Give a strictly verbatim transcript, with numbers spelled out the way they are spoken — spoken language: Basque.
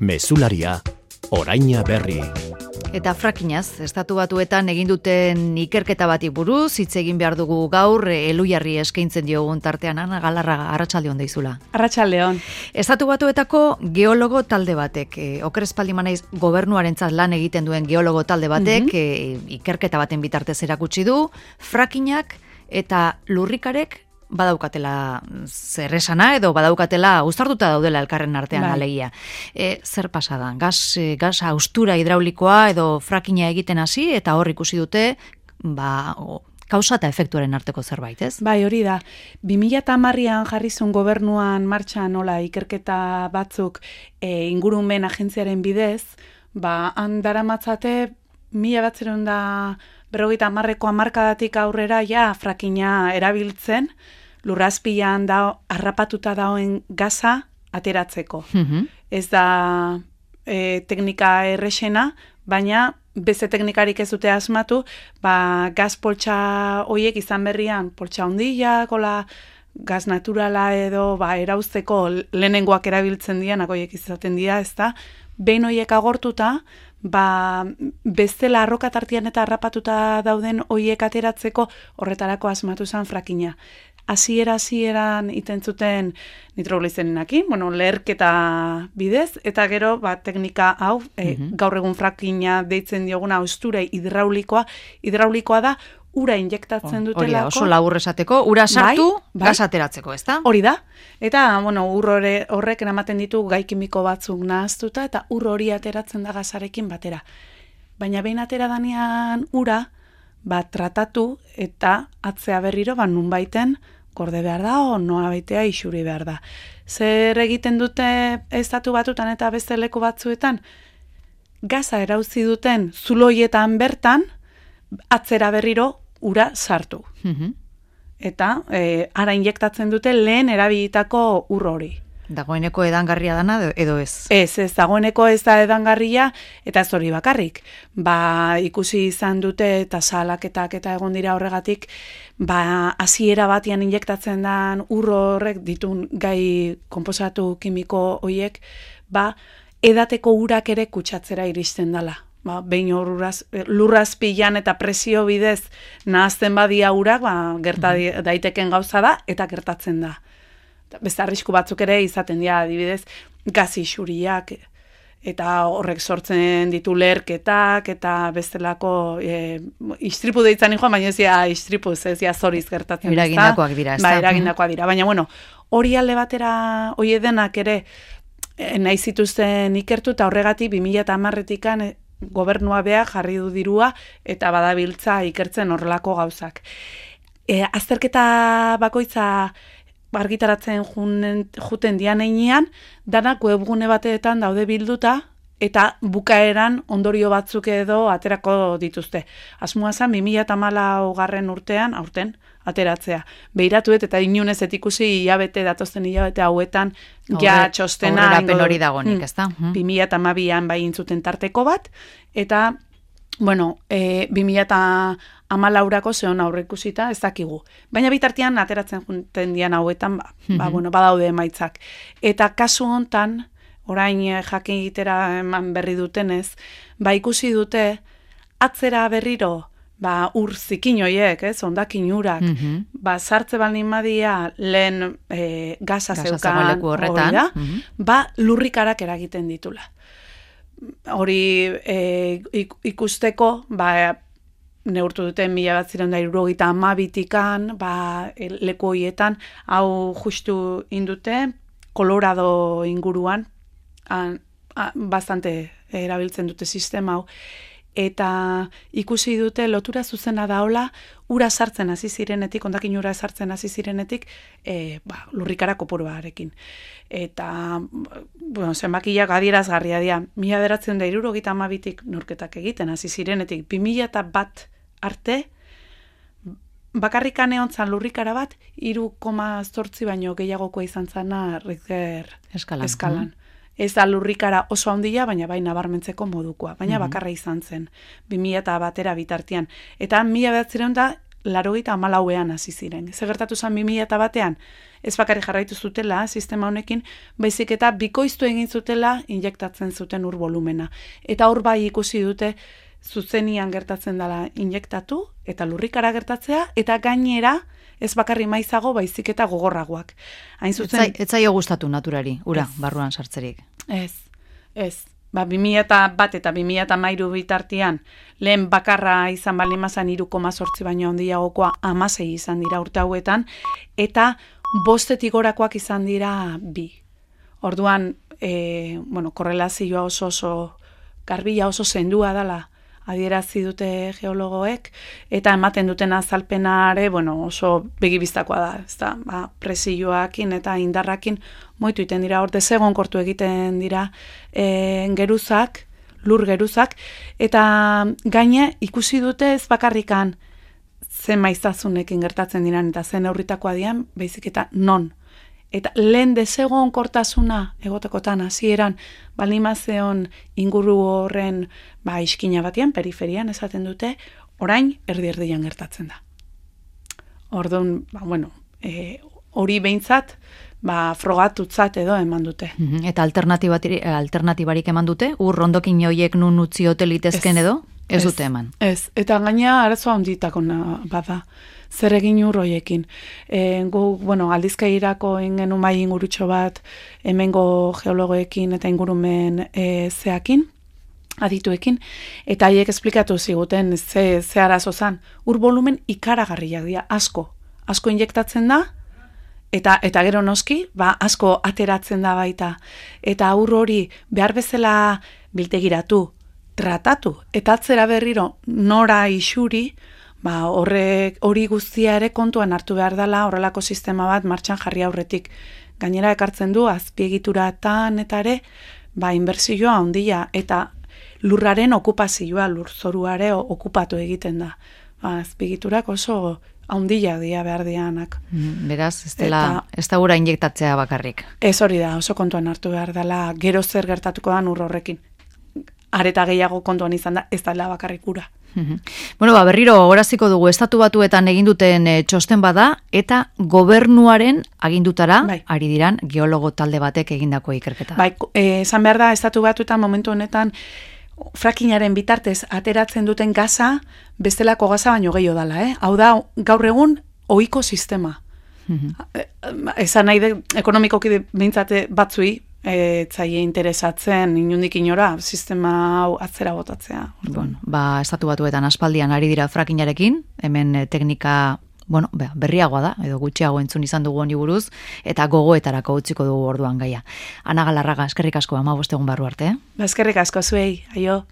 Mezularia, oraina berri. Eta frakinaz, estatu batuetan egin duten ikerketa bati buruz, hitz egin behar dugu gaur, Elhuyarri eskaintzen diogun tartean, Ana Galarraga, arratsaldeon deizula. Arratsaldeon. Estatu batuetako geologo talde batek, e, oker espaldi manaiz gobernuarentzat lan egiten duen geologo talde batek, mm-hmm. e, ikerketa baten bitartez erakutsi du, frakinak eta lurrikarek badaukatela zerresana edo badaukatela uztartuta daudela elkarren artean bai. Alegia. E, zer pasadan? Gas, e, gas austura hidraulikoa edo frakina egiten hasi eta hor ikusi dute ba, o, kausa eta efektuaren arteko zerbait, ez? Bai, hori da. bi mila hamarrean jarri zuen gobernuan martxan nola ikerketa batzuk e, ingurumen agentziaren bidez, ba, handaramatzate mila batzeron da berrogeita hamarreko hamarkadatik aurrera ja frakina erabiltzen, lurrazpilan da harrapatuta dagoen gaza ateratzeko. Mm-hmm. Ez da e, teknika errexena, baina beste teknikarik ez dute asmatu, ba, gaz poltsa hoiek izan berrian, poltsa hondiak, hola, gaz naturala edo ba, erauzteko lehenengoak erabiltzen dianak hoiek izaten dira, ez da, behin hoiek agortuta, ba, bestela arrokatartian eta harrapatuta dauden hoiek ateratzeko horretarako asmatu zen frakina. Hasiera hasieran iten zuten nitroglizerenakin, bueno, leherketa bidez, eta gero ba, teknika hau, mm-hmm. e, gaur egun frakina deitzen dioguna austura hidraulikoa, hidraulikoa da, ura injektatzen oh, dutelako. Hori da, oso labur esateko, ura sartu, bai, bai. Gas ateratzeko, ez da? Hori da, eta bueno, ur horrek eramaten ditu gai kimiko batzuk nahaztuta, eta ur hori ateratzen da gazarekin batera. Baina behin atera danean ura, ba, tratatu eta atzea berriro, ba, nun baiten, gorde behar da, o noa baitea isuri behar da. Zer egiten dute estatu batutan eta beste leku batzuetan, gaza erauzi duten zuloietan bertan, atzera berriro ura sartu. Mm-hmm. Eta e, ara injektatzen dute lehen erabilitako ur hori. Dagoeneko edangarria dana edo ez? Ez, ez, dagoeneko ez da edangarria eta ez hori bakarrik. Ba, ikusi izan dute eta salaketak eta egon dira horregatik, ba, hasiera batian injektatzen den ur horrek ditun gai konposatu kimiko hoiek, ba, edateko urak ere kutsatzera iristen dela. Ba, behin lurraz, lurrazpilan eta presio bidez nahazten badia urak, ba, gerta daiteken gauza da eta gertatzen da. Beste arrisku batzuk ere izaten dira, adibidez, gazi xuriak eta horrek sortzen ditu leherketak eta bestelako e, istripu deitzen joan, baina ez dira istripu, ez dira zoriz gertatzen. Eragindakoak dira, ez da? Ba, eragindakoak dira, baina bueno, hori alde batera, hori edenak ere nahi zituzten ikertu eta horregatik bi mila hamarretikan e, gobernua bea jarri du dirua eta badabiltza ikertzen horrelako gauzak. E, azterketa bakoitza argitaratzen juten dian einean, danak webgune bateetan daude bilduta, eta bukaeran ondorio batzuk edo aterako dituzte. Asmoa zen, bi mila hamalaugarren urtean, aurten, ateratzea. Behiratuet eta inunez etikusi hilabete, datozten hilabete hauetan, ja txostena. Aurrerapen hori dagonik, ez da? bi mila hamabian bai intzuten tarteko bat, eta bueno, e, bi mila hamalaurako zeon aurre ikusita ez dakigu. Baina bitartean ateratzen junten dian hauetan, ba, mm-hmm. ba, bueno, badaude emaitzak. Eta kasu hontan, orain jakin egitera eman berri dutenez, ba ikusi dute atzera berriro ba, ur zikin hoiek, ez, ondakin urak, mm-hmm. ba, sartze baldin badia lehen e, gaza zeukan hori da, mm-hmm. ba, lurrikarak eragiten ditula. Hori e, ikusteko, ba, neurtu duten mila bat ziren da hirurogeita hamabitikan, ba, leku horietan, hau justu indute, Colorado inguruan, an, a, bastante erabiltzen dute sistema hau, eta ikusi dute lotura zuzena daola, ura sartzen hasi zirenetik, ondakin ura sartzen hasi zirenetik, e, ba, lurrikara kopuruarekin. Eta, bueno, zenbakiak adierazgarria dira, mila beratzen da hirurogeita hamabitik norketak egiten hasi zirenetik, bi mila eta bat arte, bakarrikan egon zan lurrikara bat, hiru koma zortzi baino gehiagokoa izan zana Richter eskalan. eskalan. Ez da lurrikara oso handia, baina bai nabarmentzeko modukoa. Baina mm-hmm. bakarra izan zen, bi mila eta batera bitartean. Eta mila behatzireun da, laurogeita hamalauean hasi ziren. Ze gertatu zen bi mila batean, ez bakarrik jarraitu zutela sistema honekin, baizik eta bikoiztu egin zutela injektatzen zuten ur volumena. Eta hor bai ikusi dute zuzenian gertatzen dela injektatu eta lurrikara gertatzea, eta gainera ez bakarri maizago baizik eta gogorragoak. Hain zuzen, Ez zaio gustatu naturari, ura, barruan sartzerik. Ez, ez. Ba, bi mila bat eta bi mila hamairu bitartean, lehen bakarra izan baldin mazan hiru koma zortzi baino handiagokoa hamasei izan dira urte hauetan, eta bostetik gorakoak izan dira bi. Orduan, e, bueno, korrelazioa oso oso garbila oso zendua dela adierazi dute geologoek, eta ematen duten azalpenare, bueno, oso begibistakoa da, ezta, ba, presioakin eta indarrakin moitu iten dira, hor desegon kortu egiten dira e, geruzak, lur geruzak, eta gaine ikusi dute ez bakarrikan zen maizazunekin gertatzen diran, eta zen aurritakoa dian, baizik eta non. Eta lehen desegon kortasuna egotekotan hasieran balimazeon inguru horren ba, iskina batean, periferian esaten dute, orain erdi-erdian gertatzen da. Orduan, ba, bueno, e, hori behintzat, ba, frogatutzat edo eman dute. Eta alternatibarik eman dute? Ur rondokin horiek nun utzi hotel litezken edo? Ez, ez dute eman. Ez, eta gaina arazoa handitako bada. Zer egin ur hoiekin. E, gu, bueno, aldizkairako ingenu mai ingurutxo bat hemengo geologoekin eta ingurumen e, zeakin, adituekin, eta haiek esplikatu ziguten ze, ze arazo zan. Ur volumen ikaragarriak dira, asko. Asko injektatzen da, eta eta gero noski, ba, asko ateratzen da baita. Eta ur hori behar bezala biltegiratu, tratatu, eta atzera berriro nora isuri, ba, horrek hori guztia ere kontuan hartu behar dela horrelako sistema bat martxan jarri aurretik. Gainera ekartzen du azpiegituratan eta ere ba, inbertsioa handia eta lurraren okupazioa, lurzoruare okupatu egiten da. Ba, azpiegiturak oso handia dia behar dianak. Beraz, ez dela, ez da gura injektatzea bakarrik. Ez hori da, oso kontuan hartu behar dela gero zer gertatuko da ur horrekin. Areta gehiago kontuan izan da, ez dela bakarrik gura. Bueno, ba, berriro goraziko dugu estatu batuetan egin duten e, txosten bada, eta gobernuaren agindutara, bai, ari diran geologo talde batek egindako ikerketa. Bai, esan behar da, estatu batuetan momentu honetan frackingaren bitartez ateratzen duten gaza, bestelako gaza baino gehiago dela, eh? Hau da, gaur egun ohiko sistema. Mm-hmm. Esan nahi de, ekonomikoki behintzate batzui, ez zaie interesatzen inundik inora sistema hau atzera botatzea. Bueno, ba, estatu batuetan aspaldian ari dira frackingarekin, hemen e, teknika bueno, berriagoa da, edo gutxiago entzun izan dugu honi buruz, eta gogoetarako utziko dugu orduan gaia. Ana Galarraga, eskerrik asko, hamabost egun barru arte. Eh? Ba, eskerrik asko zuei, aio.